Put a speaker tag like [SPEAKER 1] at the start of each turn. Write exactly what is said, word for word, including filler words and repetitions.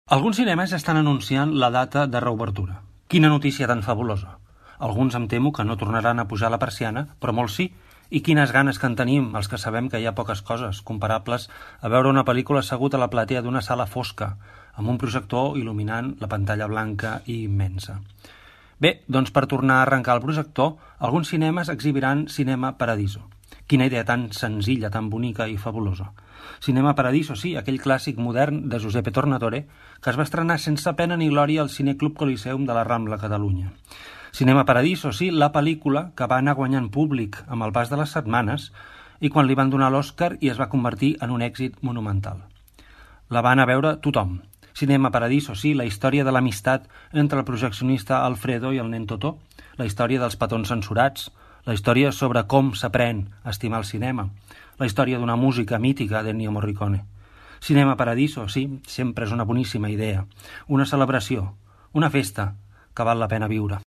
[SPEAKER 1] Alguns cinemes estan anunciant la data de reobertura. Quina notícia tan fabulosa. Alguns em temo que no tornaran a pujar la persiana, però molts sí. I quines ganes que en tenim, els que sabem que hi ha poques coses comparables a veure una pel·lícula assegut a la platea d'una sala fosca, amb un projector il·luminant la pantalla blanca i immensa. Bé, doncs per tornar a arrencar el projector, alguns cinemes exhibiran Cinema Paradiso. Quina idea tan senzilla, tan bonica i fabulosa. Cinema Paradiso, sí, aquell clàssic modern de Giuseppe Tornatore que es va estrenar sense pena ni glòria al Cineclub Coliseum de la Rambla, Catalunya. Cinema Paradiso, sí, la pel·lícula que va anar guanyant públic amb el pas de les setmanes i quan li van donar l'Oscar i es va convertir en un èxit monumental. La va anar a veure tothom. Cinema Paradiso, sí, la història de l'amistat entre el projeccionista Alfredo i el nen Totó, la història dels petons censurats, la història sobre com s'aprèn a estimar el cinema, la història d'una música mítica d'Ennio Morricone. Cinema Paradiso, sí, sempre és una boníssima idea, una celebració, una festa que val la pena viure.